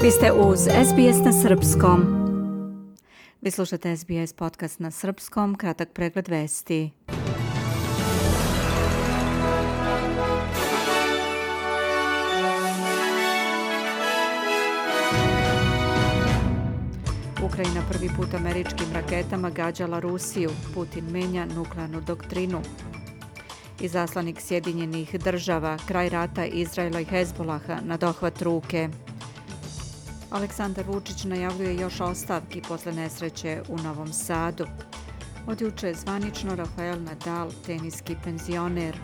Vi ste uz SBS na srpskom. Vi slušate SBS podcast na srpskom, kratak pregled vesti. Ukrajina prvi put američkim raketama gađala Rusiju. Putin menja nuklearnu doktrinu. Izaslanik Sjedinjenih država, kraj rata Izraela i Hezbolaha na dohvat ruke. Aleksandar Vučić najavljuje još ostavki posle nesreće u Novom Sadu. Od juče je zvanično Rafael Nadal, teniski penzioner.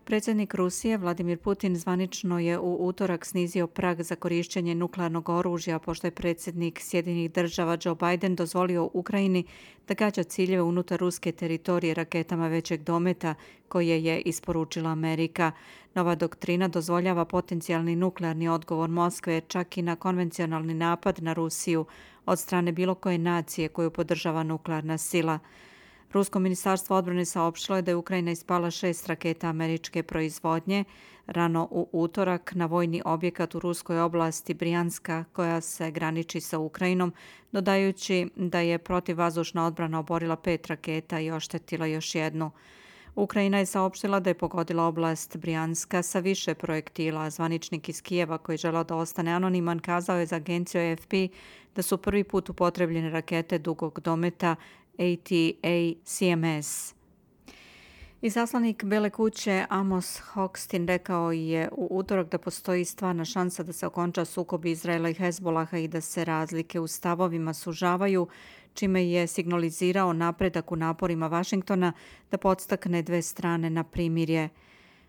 Predsjednik Rusije Vladimir Putin zvanično je u utorak snizio prag za korištenje nuklearnog oružja pošto je predsjednik Sjedinjenih država Joe Biden dozvolio Ukrajini da gađa ciljeve unutar ruske teritorije raketama većeg dometa koje je isporučila Amerika. Nova doktrina dozvoljava potencijalni nuklearni odgovor Moskve čak i na konvencionalni napad na Rusiju od strane bilo koje nacije koju podržava nuklearna sila. Rusko ministarstvo odbrane saopštilo je da je Ukrajina ispala 6 raketa američke proizvodnje rano u utorak na vojni objekat u ruskoj oblasti Brijanska koja se graniči sa Ukrajinom, dodajući da je protivvazdušna odbrana oborila 5 raketa i oštetila još jednu. Ukrajina je saopštila da je pogodila oblast Brijanska sa više projektila. Zvaničnik iz Kijeva koji je želeo da ostane anoniman kazao je za agenciju AFP da su prvi put upotrebljene rakete dugog dometa ATACMS. Izaslanik Bele kuće Amos Hochstein rekao je u utorak da postoji stvarna šansa da se okonča sukob Izraela i Hezbolaha i da se razlike u stavovima sužavaju, čime je signalizirao napredak u naporima Vašingtona da podstakne dve strane na primirje.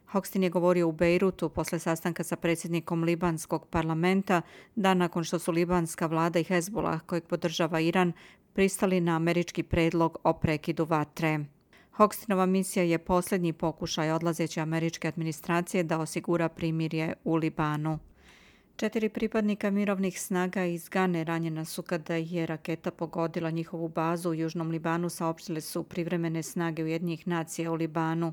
Hochstein je govorio u Bejrutu posle sastanka sa predsjednikom libanskog parlamenta, dan nakon što su libanska vlada i Hezbolah, kojeg podržava Iran, pristali na američki predlog o prekidu vatre. Hochsteinova misija je posljednji pokušaj odlazeće američke administracije da osigura primirje u Libanu. 4 pripadnika mirovnih snaga iz Gane ranjena su kada je raketa pogodila njihovu bazu u Južnom Libanu, saopštile su privremene snage Ujedinjenih nacija u Libanu.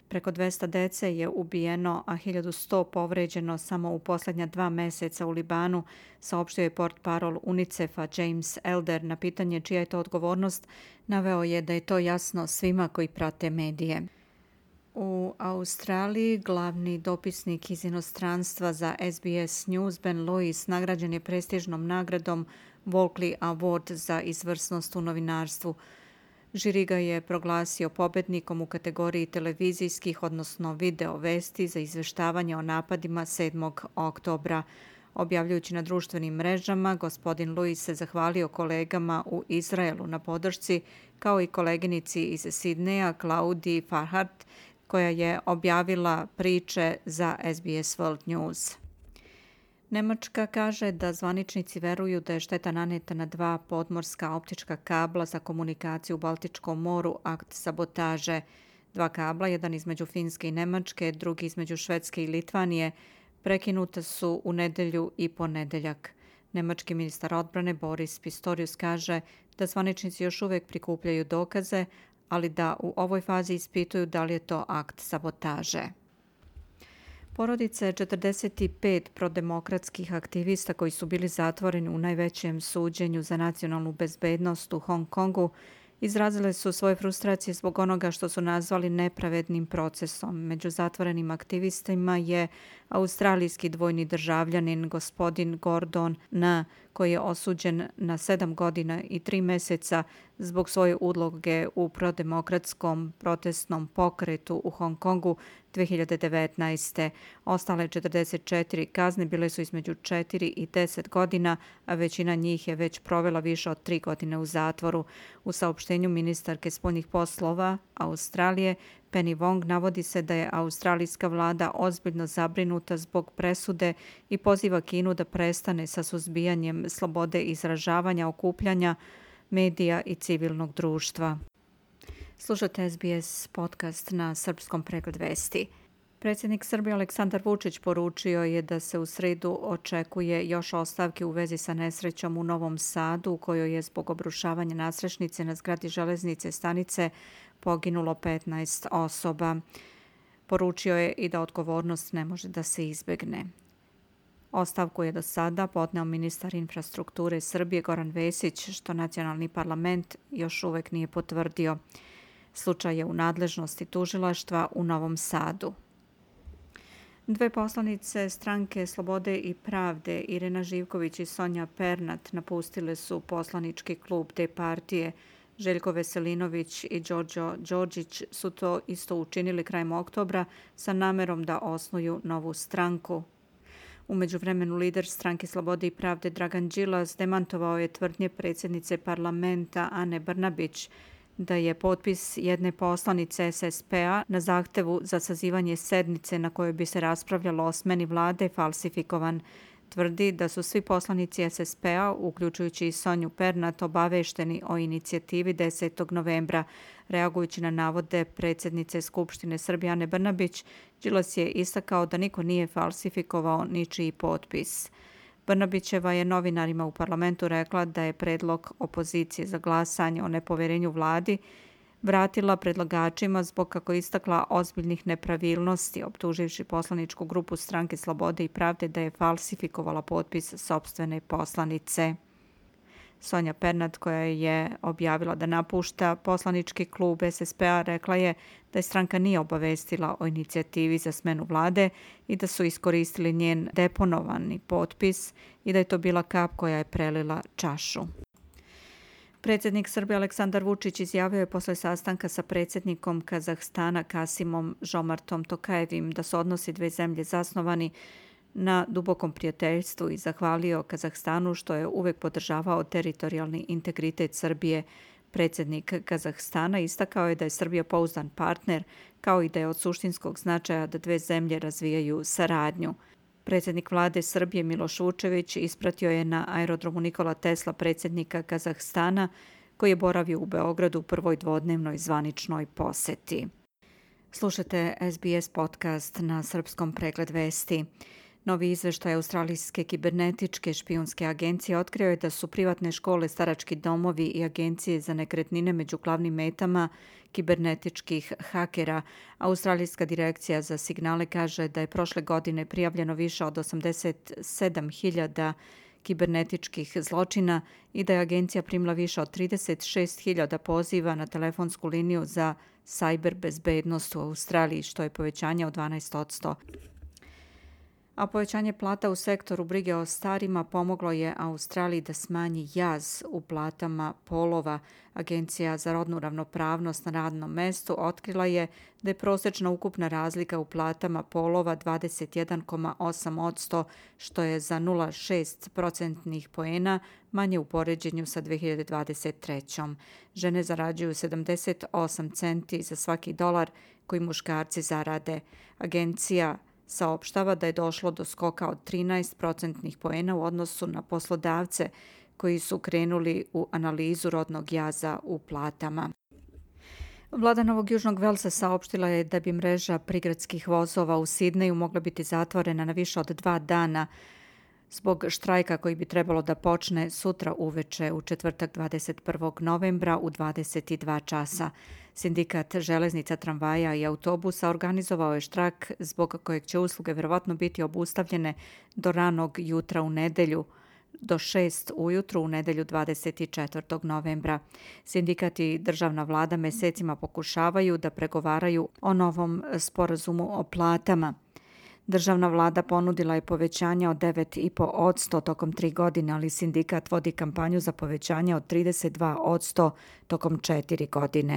Preko 200 dece je ubijeno, a 1100 povređeno samo u posljednja 2 meseca u Libanu, saopštio je portparol UNICEF-a James Elder. Na pitanje čija je to odgovornost, naveo je da je to jasno svima koji prate medije. U Australiji glavni dopisnik iz inostranstva za SBS News Ben Lewis nagrađen je prestižnom nagradom Walkley Award za izvrsnost u novinarstvu. Žiri ga je proglasio pobednikom u kategoriji televizijskih, odnosno video vesti za izveštavanje o napadima 7. oktobra. Objavljujući na društvenim mrežama, gospodin Lewis se zahvalio kolegama u Izraelu na podršci, kao i koleginici iz Sidneja, Claudii Farhart, koja je objavila priče za SBS World News. Nemačka kaže da zvaničnici veruju da je šteta naneta na 2 podmorska optička kabla za komunikaciju u Baltičkom moru akt sabotaže. 2 kabla, jedan između Finske i Nemačke, drugi između Švedske i Litvanije, prekinuta su u nedelju i ponedeljak. Nemački ministar odbrane Boris Pistorius kaže da zvaničnici još uvijek prikupljaju dokaze, ali da u ovoj fazi ispituju da li je to akt sabotaže. Porodice 45 prodemokratskih aktivista koji su bili zatvoreni u najvećem suđenju za nacionalnu bezbednost u Hong Kongu izrazile su svoje frustracije zbog onoga što su nazvali nepravednim procesom. Među zatvorenim aktivistima je australijski dvojni državljanin gospodin Gordon N, koji je osuđen na 7 godina i 3 meseca zbog svoje uloge u prodemokratskom protestnom pokretu u Hong Kongu 2019. Ostale 44 kazne bile su između 4 i 10 godina, a većina njih je već provela više od 3 godine u zatvoru. U saopštenju ministarke spoljnih poslova Australije Penny Wong navodi se da je australijska vlada ozbiljno zabrinuta zbog presude i poziva Kinu da prestane sa suzbijanjem slobode izražavanja, okupljanja, medija i civilnog društva. Slušate SBS podcast na srpskom pregled vesti. Predsjednik Srbije Aleksandar Vučić poručio je da se u srijedu očekuje još ostavke u vezi sa nesrećom u Novom Sadu u kojoj je zbog obrušavanja nadstrešnice na zgradi železnice stanice poginulo 15 osoba. Poručio je i da odgovornost ne može da se izbjegne. Ostavku je do sada podneo ministar infrastrukture Srbije Goran Vesić, što nacionalni parlament još uvek nije potvrdio. Slučaj je u nadležnosti tužilaštva u Novom Sadu. Dve poslanice stranke Slobode i pravde, Irena Živković i Sonja Pernat, napustile su poslanički klub te partije. Željko Veselinović i Đorđo Đorđić su to isto učinili krajem oktobra sa namerom da osnuju novu stranku. U međuvremenu lider stranke Slobode i pravde Dragan Đilas demantovao je tvrdnje predsjednice parlamenta Ane Brnabić da je potpis jedne poslanice SSP-a na zahtevu za sazivanje sednice na kojoj bi se raspravljalo o smeni vlade falsifikovan. Tvrdi da su svi poslanici SSP-a, uključujući i Sonju Pernat, obavešteni o inicijativi 10. novembra. Reagujući na navode predsjednice Skupštine Srbije Ane Brnabić, Đilas je istakao da niko nije falsifikovao ničiji potpis. Brnabićeva je novinarima u parlamentu rekla da je predlog opozicije za glasanje o nepoverenju vladi vratila predlagačima zbog, kako istakla, ozbiljnih nepravilnosti, optuživši poslaničku grupu stranke Slobode i pravde da je falsifikovala potpis sopstvene poslanice. Sonja Pernat, koja je objavila da napušta poslanički klub SSP-a, rekla je da je stranka nije obavestila o inicijativi za smenu vlade i da su iskoristili njen deponovani potpis i da je to bila kap koja je prelila čašu. Predsjednik Srbije Aleksandar Vučić izjavio je posle sastanka sa predsjednikom Kazahstana Kasimom Žomartom Tokajevim da su odnosi dve zemlje zasnovani na dubokom prijateljstvu i zahvalio Kazahstanu što je uvek podržavao teritorijalni integritet Srbije. Predsjednik Kazahstana istakao je da je Srbija pouzdan partner, kao i da je od suštinskog značaja da dve zemlje razvijaju saradnju. Predsjednik vlade Srbije Miloš Vučević ispratio je na aerodromu Nikola Tesla predsjednika Kazahstana, koji je boravio u Beogradu u prvoj dvodnevnoj zvaničnoj poseti. Slušate SBS podcast na srpskom Pregled vesti. Novi izveštaj Australijske kibernetičke špijunske agencije otkrio je da su privatne škole, starački domovi i agencije za nekretnine među glavnim metama kibernetičkih hakera. Australijska direkcija za signale kaže da je prošle godine prijavljeno više od 87.000 kibernetičkih zločina i da je agencija primila više od 36.000 poziva na telefonsku liniju za sajber bezbednost u Australiji, što je povećanje od 12%. A povećanje plata u sektoru brige o starima pomoglo je Australiji da smanji jaz u platama polova. Agencija za rodnu ravnopravnost na radnom mestu otkrila je da je prosječna ukupna razlika u platama polova 21,8%, što je za 0,6 procentnih poena manje u poređenju sa 2023. Žene zarađuju 78 centi za svaki dolar koji muškarci zarade. Agencija saopštava da je došlo do skoka od 13 procentnih poena u odnosu na poslodavce koji su krenuli u analizu rodnog jaza u platama. Vlada Novog Južnog Velsa saopštila je da bi mreža prigradskih vozova u Sidneju mogla biti zatvorena na više od 2 dana zbog štrajka koji bi trebalo da počne sutra uveče u četvrtak 21. novembra u 22 časa. Sindikat železnica, tramvaja i autobusa organizovao je štrajk zbog kojeg će usluge vjerovatno biti obustavljene do ranog jutra u nedelju, do 6 ujutru u nedelju 24. novembra. Sindikat i državna vlada mesecima pokušavaju da pregovaraju o novom sporazumu o platama. Državna vlada ponudila je povećanje od 9,5% tokom 3 godine, ali sindikat vodi kampanju za povećanje od 32% tokom 4 godine.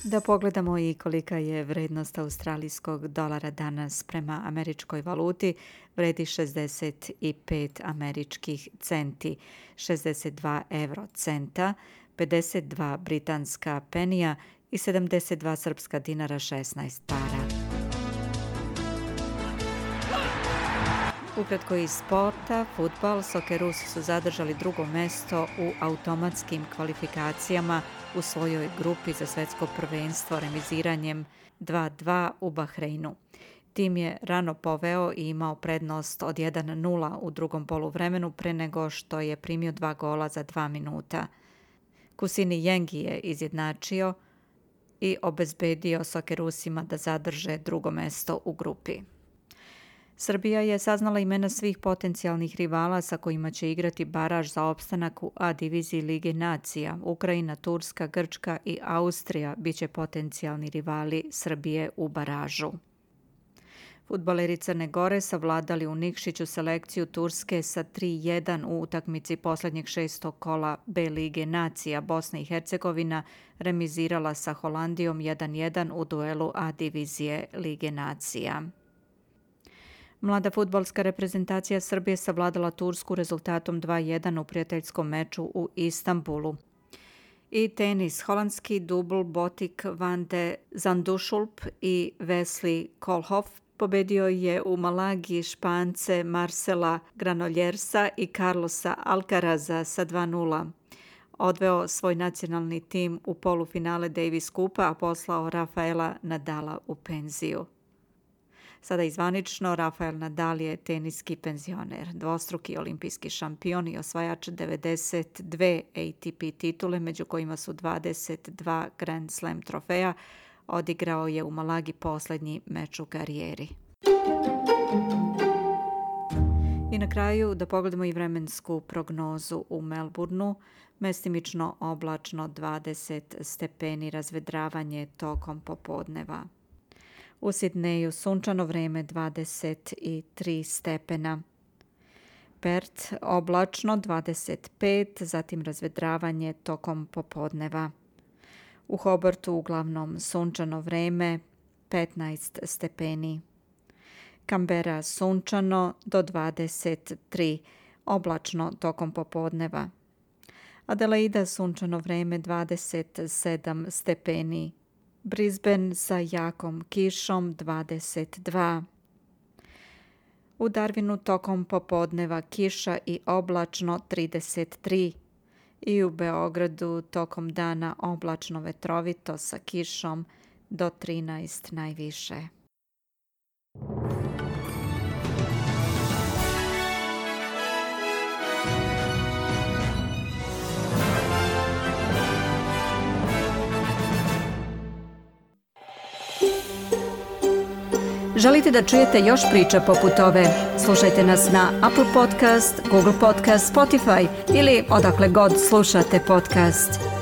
Da pogledamo i kolika je vrednost australijskog dolara danas prema američkoj valuti, vredi 65 američkih centi, 62 eurocenta, 52 britanska penija i 72 srpska dinara 16 para. Ukratko iz sporta, fudbal, Sokerusi su zadržali drugo mesto u automatskim kvalifikacijama u svojoj grupi za svetsko prvenstvo remiziranjem 2-2 u Bahreinu. Tim je rano poveo i imao prednost od 1-0 u drugom poluvremenu pre nego što je primio 2 gola za 2 minuta. Kusini Jengi je izjednačio i obezbedio Sokerusima da zadrže drugo mesto u grupi. Srbija je saznala imena svih potencijalnih rivala sa kojima će igrati baraž za opstanak u A diviziji Lige nacija. Ukrajina, Turska, Grčka i Austrija biće potencijalni rivali Srbije u baražu. Fudbaleri Crne Gore savladali u Nikšiću selekciju Turske sa 3-1 u utakmici posljednjeg 6. kola B Lige nacija. Bosna i Hercegovina remizirala sa Holandijom 1-1 u duelu A divizije Lige nacija. Mlada fudbalska reprezentacija Srbije savladala Tursku rezultatom 2-1 u prijateljskom meču u Istanbulu. I tenis, holandski dubl Botik van de Zandschulp i Wesley Koolhof pobedio je u Malagi Špance Marcela Granoljersa i Carlosa Alcaraza sa 2-0. Odveo svoj nacionalni tim u polufinale Davis Kupa, a poslao Rafaela Nadala u penziju. Sada izvanično, Rafael Nadal je teniski penzioner, dvostruki olimpijski šampion i osvajač 92 ATP titule, među kojima su 22 Grand Slam trofeja. Odigrao je u Malagi posljednji meč u karijeri. I na kraju da pogledamo i vremensku prognozu u Melbourneu. Mestimično oblačno 20 stepeni, razvedravanje tokom popodneva. U Sidneju sunčano vreme 23 stepena. Perth oblačno 25, zatim razvedravanje tokom popodneva. U Hobartu uglavnom sunčano vreme 15 stepeni. Canberra sunčano do 23, oblačno tokom popodneva. Adelaida sunčano vreme 27 stepeni. Brisbane sa jakom kišom 22. U Darwinu tokom popodneva kiša i oblačno 33. I u Beogradu tokom dana oblačno vetrovito sa kišom do 13 najviše. Želite da čujete još priča poput ove? Slušajte nas na Apple Podcast, Google Podcast, Spotify ili odakle god slušate podcast.